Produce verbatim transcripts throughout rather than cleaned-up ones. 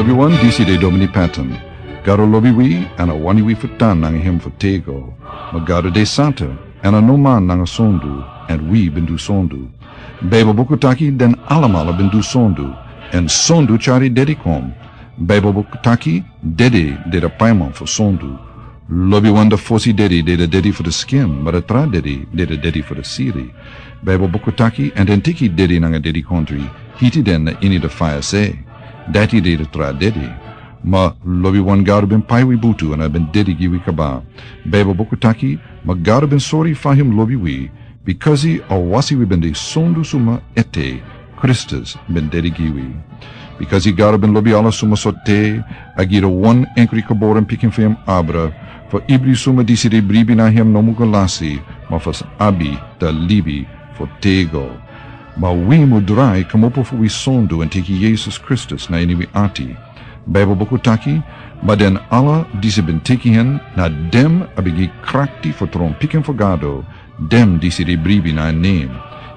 Wi wan disi de Domini Patton. Gado lobi wi, èn a wani wi fu tan nanga hem fu tego. Ma Gado de santa, èn a no man nanga sondu, èn wi ben du sondu. Baibel buku taki den alamala ben du sondu, èn sondu tyari dedi kon. Baibel buku taki dedi de da paiman fu sondu. Lobi wan da fosi dedi de da dedi fu da skin, ma da tra dedi de da dedi fu da siri. Baibel buku taki, èn den teki dedi nanga dedi kontri, hiti den na ini da faya se. Dati de da tra dedi. Ma lobi wan Gado ben pai wi butu èn a ben dedi gi wi kaba. Baibel buku taki, ma Gado ben sori fa hem lobi wi, bikasi a wasi wi ben de sondu suma ete, Kristus ben dedi gi wi. Bikasi Gado ben lobi ala suma sote, a gi da wan enkri kaboren pikin fu hem abra, fu ibri suma disi de bribi na hem no mu go lasi, ma fu abi da libi fu tego. Ma wi mu drai kmopo fu wi sondu èn teki Yesus Kristus na ini wi ati. Baibel buku taki, ma den ala disi ben teki hen, na dem a ben gi krakti fu tron pikin fu Gado, dem disi de bribi na en nen.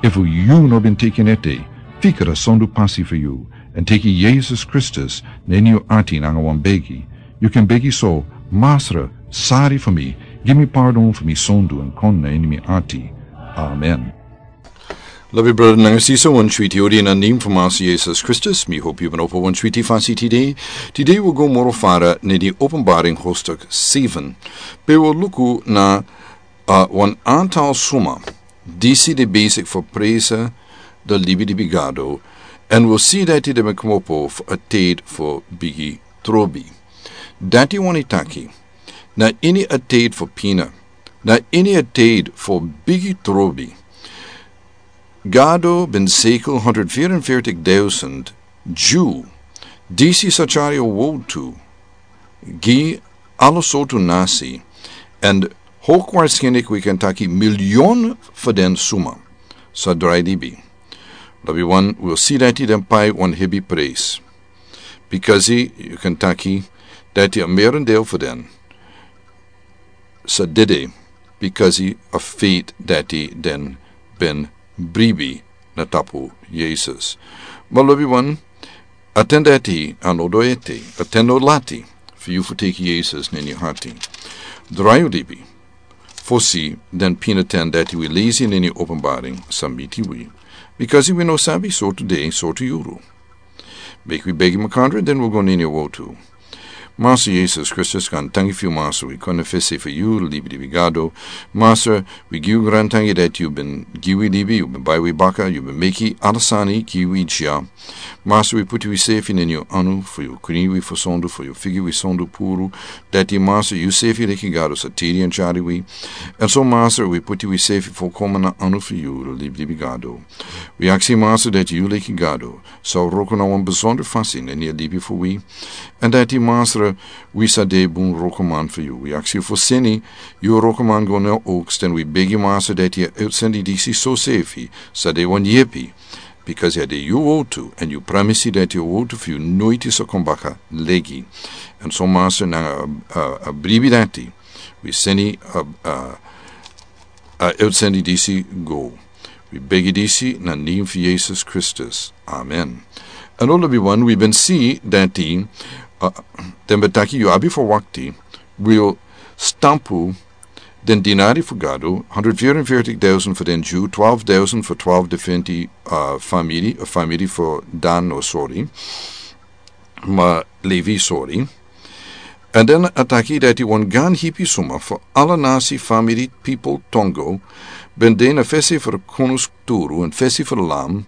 Efu yu no ben teki en ete, fika da sondu pasi fu yu, èn teki Yesus Kristus na ini yu ati nanga wan begi. Yu kan begi so, Masra, sari fu mi, gi mi pardon fu mi sondu èn kon na ini mi ati. Amen. Lobi brada nanga sisa, wan switi odi na nen fu Masra Yesus Kristus. Mi hopi yu ben opo wan switi fasi tide. Tide wi go moro fara na di Openbaring hoofdstuk seven. Pe wi luku na, uh, wan antal suma disi de besik fu presa da libi di bigado, èn wi si dati den ben kmopo fu a ted fu bigi trobi. Dati wani taki, na ini a ted fu pina, na ini a ted fu bigi trobi, Gado ben sekel honderdvierenveertig duizend Dyu, disi sa tyari a wotu gi ala sortu nasi, èn hoogwaarschijnlijk wi kan taki miljoen fu den suma sa drai libi. Lobi wan, wi si dati den pai wan hebi prijs. Bikasi yu kan taki dati a merendeel fu den sa dede, bikasi a feit dati den ben bribi na tapu Yesus. Ma lobi wan, a ten dati a no do ete, a ten no lati fu yu fu teki Yesus na ini yu hati. Drai yu libi fosi den pina ten dati wi lesi na ini Openbaring sa miti wi. Bikasi wi no sabi sortu dei, sortu yuru. Meki wi begi makandra, den wi go na ini a wotu. Masra Yesus Kristus, gaantangi fu yu, Masra, wi kon na fesi fu yu, libi di wi Gado. Masra, wi gi yu gaantangi dati yu ben gi wi libi, yu ben bai wi baka, yu ben meki ala sani gi wi dya. Masra, wi puti wi sefi na ini yu anu, fu yu krin wi fu sondu, fu yu figi wi sondu puru. Dati Masra, yu sefi leki Gado sa tiri èn tyari wi. Èn so Masra, wi puti wi sefi fu kon na anu fu yu, libi di wi Gado. Wi aksi Masra dati yu leki Gado sa wroko na wan besonder fasi na ini a libi fu wi. Èn dati Masra, wi sa de bun wrokoman fu yu. Wi aksi fu seni yu wrokoman go na oks, èn wi begi Masra dati a utsending disi so sefi sa de wan yepi. Bikasi a de yu wotu, èn yu pramisi dati a wotu fu yu noiti sa kon baka legi. Èn so Masra, nanga a, a, a bribi dati wi seni a, a, a utsending disi go. Wi begi disi na nen fu Yesus Kristus. Amen. Èn lobi wan, wi ben si dati, uh, den ben taki yu abi fu wakti, wi o stampu den dinari fu Gado, honderdvierenveertig duizend fu den Dyu, twaalf duizend fu twaalf diferenti, uh, famiri, uh, famiri fu Dan, no, sorry, ma Levi, sorry. Èn den a taki dati wan gaan hipi suma fu ala nasi, famiri, pipel, tongo ben de na fesi fu a konusturu èn fesi fu a Lam,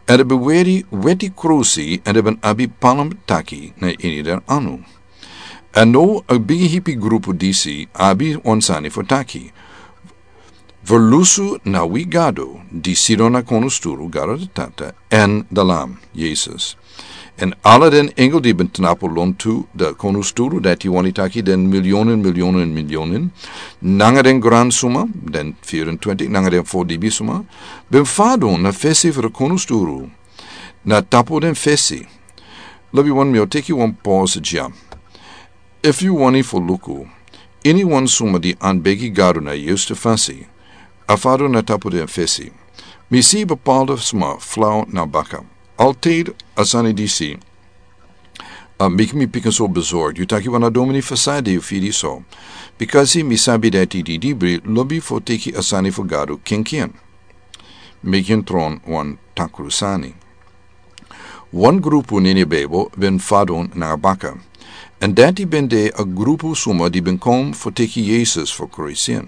èn den ben weri weti krusi, èn den ben abi palm taki na ini den anu. Èn now a bigi hipi grupu disi abi wan sani fu taki. Ferlusu na wi Gado, di sidon na konusturu, Gado da Tata, èn da Lam, Yesus. Èn ala den engel di ben tnapu lontu da konusturu, dati wani taki den miljoenen, miljoenen, miljoenen, nanga den gran suma, den vierentwintig, nanga den fo libi suma, ben fadon na fesi fu a konusturu, na tapu den fesi. Lobi wan, mi o teki wan pause dya. Efu yu wani fu luku iniwan suma di anbegi Gado na a yuste fasi, a fadon na tapu den fesi. Mi si bepaalde suma flau na baka. Altijd a sani disi A meki mi pikin so bezorgd. Yu taki wan a domini fu san de yu firi so. Bikasi mi sabi dati di dibri lobi fu teki a sani fu Gado kenken. Meki en tron wan takru sani. Wan grupu nini Bijbel ben fadon nanga baka. Èn dati ben de a grupu suma di ben kon fu teki Yesus fu krusin.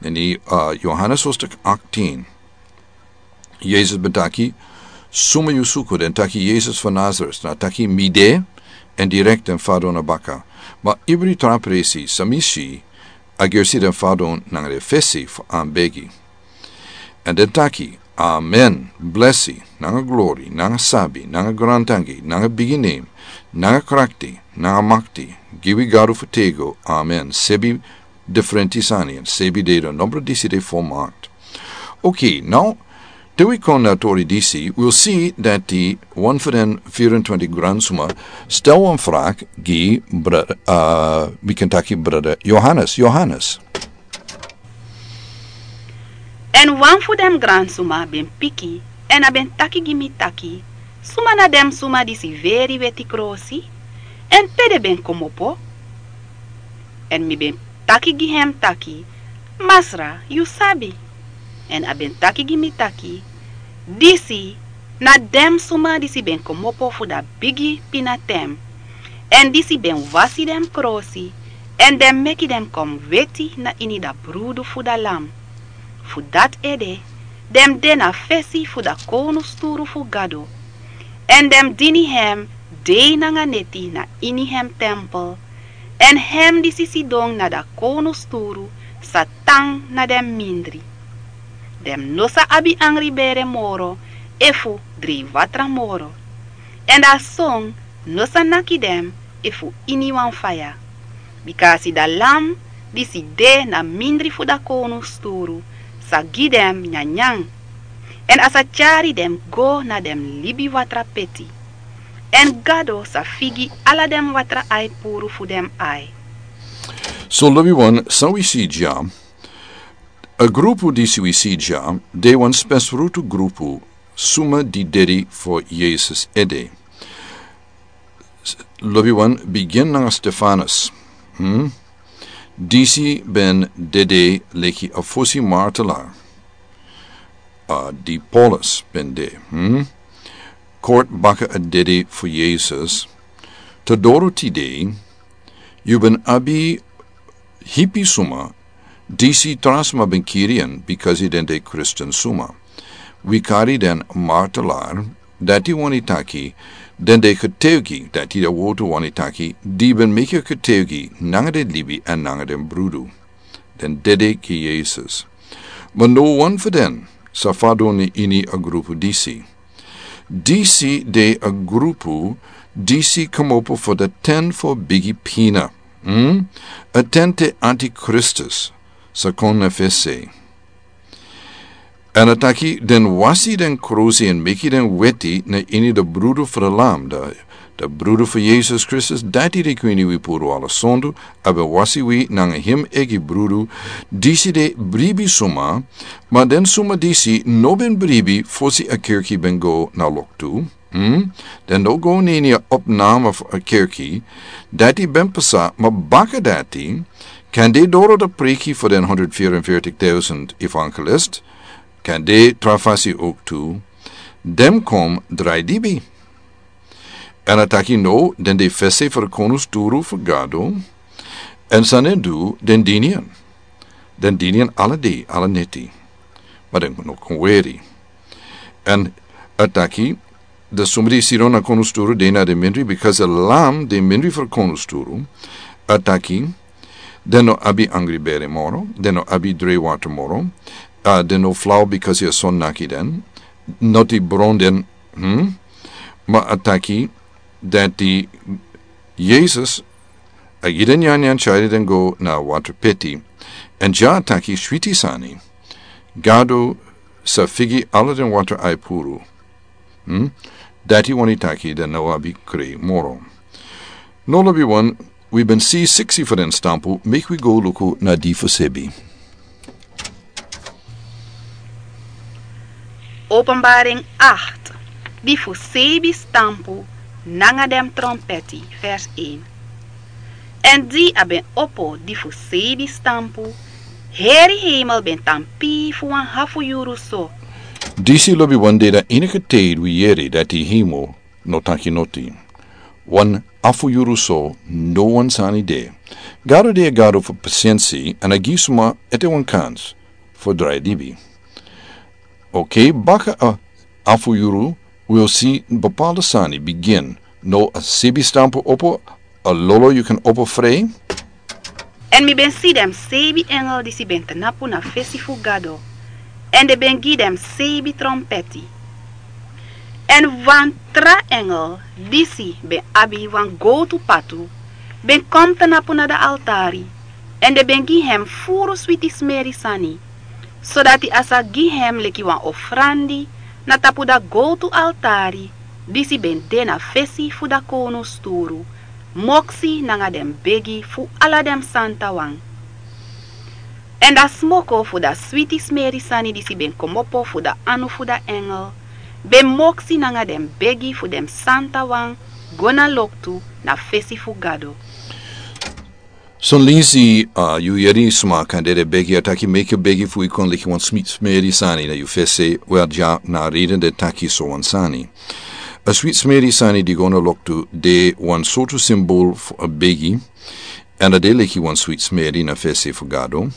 Nini, uh, Johannes hoofdstuk achttien. Yesus ben taki, suma yu suku den taki Yesus fu Nazaret, na taki mi de, èn direkt den fadon na baka. Ma ibri tra presi, san mi si, a gersi den fadon nanga den fesi fu an begi. Èn den taki, amen, blesi, nanga glori, nanga sabi, nanga grantangi, nanga bigi nen, nanga krakti, nanga makti, gi wi Gado fu tego, amen. Sebi diferenti sani, èn sebi de den nombro disi de volmaakt. Ok, now, te wi kon na tori disi, wi wi si dati wan fu den vierentwintig gransuma stel wan vraag gi brada, uh, wi kan taki brada Johannes. Johannes. Èn wan fu den gransuma ben piki, èn a ben taki gi mi taki, suma na den suma disi veri weti krosi, èn pe den ben komopo? Èn mi ben taki gi hem taki, masra, yu sabi. Èn a ben taki gi mi taki, disi na den suma disi ben komopo fu da bigi pinatem. Èn disi ben wasi den krosi, èn den meki den kon weti na ini da brudu fu da lam. Fu dati ede, den de na fesi fu da kownusturu fu Gado. Èn den dini hem dei nanga neti na ini hem tempel. Èn hem disi sidon na da kownusturu sa tan na den mindri. Den no sa abi angri bere moro, efu drei watra moro. Èn da son no sa naki den efu ini wan faya. Bikasi da lam disi de na mindri fu da kownusturu sa gi den nyanyan. Èn a sa tyari den go na den libi watra peti. Èn Gado sa figi ala den watra ai puru fu den ai. So lobi wan, san wi si dya, a grupu disi wi si dya, de wan spesrutu grupu suma di dedi fu Yesus ede. S-, lobi wan bigin nanga Stefanus. Hmm? Disi ben dede leki a fosi martelaar. A di Paulus ben de. Hmm? Kort baka a dede fu Yesus. Te doro tide, yu ben abi hipi suma, disi tra suma ben kiri en, bikasi den de Kristin suma. Wi kari den martelaar, dati wani taki, den de getuigi, dati da wotu wani taki, di ben meki getuigi, nanga den libi èn nanga den brudu. Den dede gi Yesus. Ma no wan fu den, sa fadon ini a grupu disi. Disi de a grupu, disi komopo fu da ten fu bigi pina. Hmm? A ten te antikristus, sa kon na fesi. Èn a taki, den wasi den krusi èn meki den weti na ini da brudu fu da lam, da, da brudu fu Yesus Kristus, dati de kwini wi puru ala sondu, a ben wasi wi nanga hem eigi brudu, disi de bribi suma, ma den suma disi no ben bribi fosi a kerki ben go na loktu. Hmm? Den no go na ini a opname fu a kerki, dati ben pasa, ma baka dati, kande doro da preki fu den honderd vierenveertig duizend evangelist, kande tra fasi ook tu, den kon drai libi. Èn a taki no, den de fesi fu da kownusturu fu Gado, èn san den du, den dini en. Den dini en ala dei, ala neti. Ma den no kon weri. Èn a taki, da suma di sidon na kownusturu de na den mindri, bikasi a lam de mindri fu kownusturu. A taki, den no abi angri bere moro, den no abi drei watra moro, a den no flau bikasi a son naki den, noti bron den, hmm? Ma a taki, dati Yesus, a gi den nyanyan tyari den go na watra peti, èn dya a taki switi sani, Gado sa figi ala den watra ai puru. Hmm? Dati wani taki den no abi krei moro. No lobi wan, wi ben si siksi fu den stampu, meki wi go luku na di fu sebi. Openbaring acht, di fu sebi stampu, nanga den trompeti. Vers een. Èn di a ben opo di fu seibi stampu, heri heimel ben tan pii fu wan hafu yuru so. Disi lobi wan de dan enige tide wi yere dati heimel no taki noti. Wan hafu yuru so, no wan sani de. Gado de a Gado fu pasensi èn a gi suma ete wan kans fu drai libi. Oké, baka a hafu yuru wi o si bepaalde sani bigin. No a seibi stampu opo, a lolo yu kan opo frei. Èn mi ben si den seibi engel disi ben tnapu na fesi fu Gado, èn den ben gi den seibi trompeti. Èn wan tra engel disi ben abi wan gowtu patu ben kon tnapu na da altari, èn den ben gi hem furu switi smeri sani, sodati a sa gi hem leki wan ofrandi na tapu da gowtu altari disi ben de na fesi fu da kownu sturu, moksi nanga den begi fu ala den santawan. Èn da smoko fu da switi smeri sani disi ben kmopo fu da anu fu da engel ben moksi nanga den begi fu den santawan go na loktu na fesi fu Gado. Son leisi, a, yu yere sma kan dede begi, a taki meki begi fu yu kon leki wan switi smeri sani na yu fesi, wel, dya na a reden den taki so wan sani. A switi smeri sani di go na loktu de wan sortu simbol fu a begi, èn a de leki wan switi smeri na fesi fu Gado.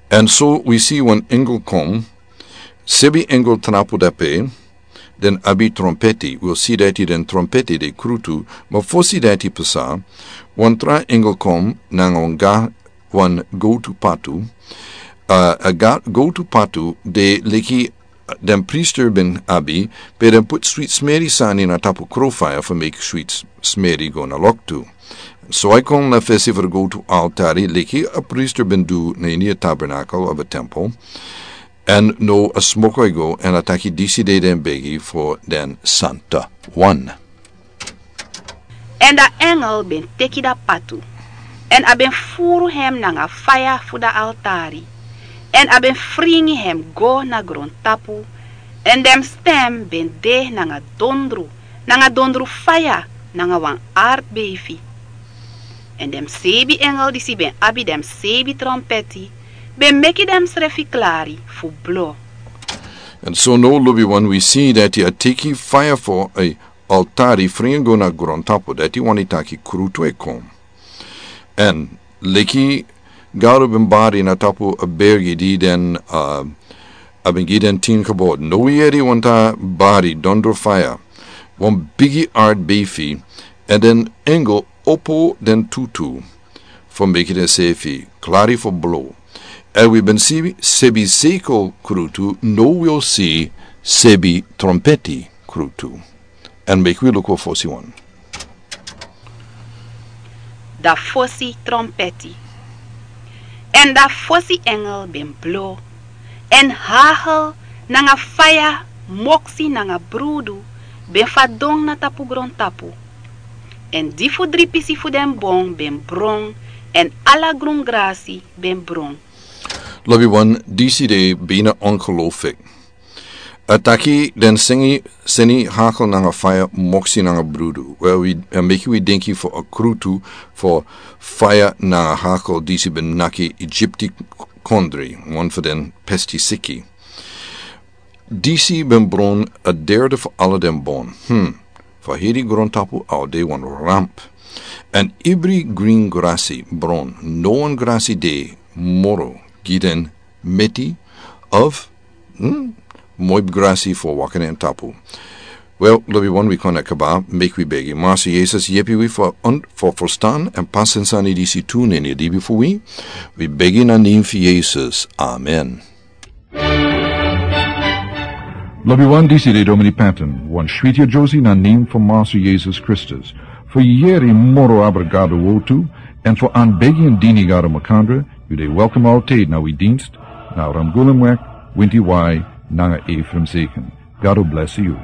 Èn so wi si wan engel kon, seibi engel tnapu dape, den abi trompeti. Wi o si dati den trompeti de krutu, ma fosi dati pasa, wan tra engel kon nanga wan ga, wan gowtu patu. A, a ga, gowtu patu de leki den priester ben abi, pe den poti switi smeri sani na tapu krofaya fu meki switi smeri go na loktu. So a kon na fesi fu da gowtu altari leki a priester ben du na ini a tabernakel of a tempel. Èn no a smoko e go, èn a taki disi de den begi fu den santawan. Èn da engel ben teki da patu, èn a ben furu hem nanga faya fu da altari, èn a ben fringi hem go na grontapu, èn den stem ben de nanga dondru, nanga dondru faya, nanga wan artbeifi. Èn den seibi engel disi ben abi den seibi trompeti ben meki densrefi klari fu blo. Èn so no lobi wan wi si dati a teki faya fu a altari fringi go na grontapu, dati wani taki krutu e kon. Èn leki Gado ben bari na tapu a bergi di den, a, a ben gi den tin kbod. No wi yere wan tra bari dondru faya, wan bigi artbeifi, èn den engel opo den tutu fu meki densefi klari fu blo. Èn wi ben si seibi seikel krutu, no wi o si seibi trompeti krutu. Èn meki wi luku a fosi wan. Da fosi trompeti. Èn da fosi engel ben blo, èn hagel nanga faya, moksi nanga brudu ben fadon na tapu grontapu. Èn di fu dri pisi fu den bon ben bron, èn ala grun grasi ben bron. Lobi wan, disi de bina ongelooflijk. A taki den seni, seni hagel nanga faya, moksi nanga brudu. Wel, wi, a meki wi denki fu a krutu fu faya nanga hagel disi ben naki Egypti kondre, wan fu den pestisiki. Disi ben bron a derde fu ala den bon. Hmm. Fu heri grontapu a o de wan ramp. Èn ibri grin grasi bron, no wan grasi de moro gi den meti of, hmm, moi grasi fu waka na en tapu. Wel, lobi wan, wi kon na kaba, meki wi begi. Master Jesus, yepi wi fu, fu ferstan èn pasi den sani disi tu na ini libi fu wi. Wi begi na nen fu Jesus. Amen. Lobi wan, disi de Domini Patton, wan switi a Josie na nen fu Master Jesus Kristus. Fu yere moro abra Gado wortu, èn fu anbegi èn dini Gado makandra, yu de welkom altijd na wi dienst, na Ramgulumweg, winti wai, nanga Ephraim Zeken. Gado bless yu.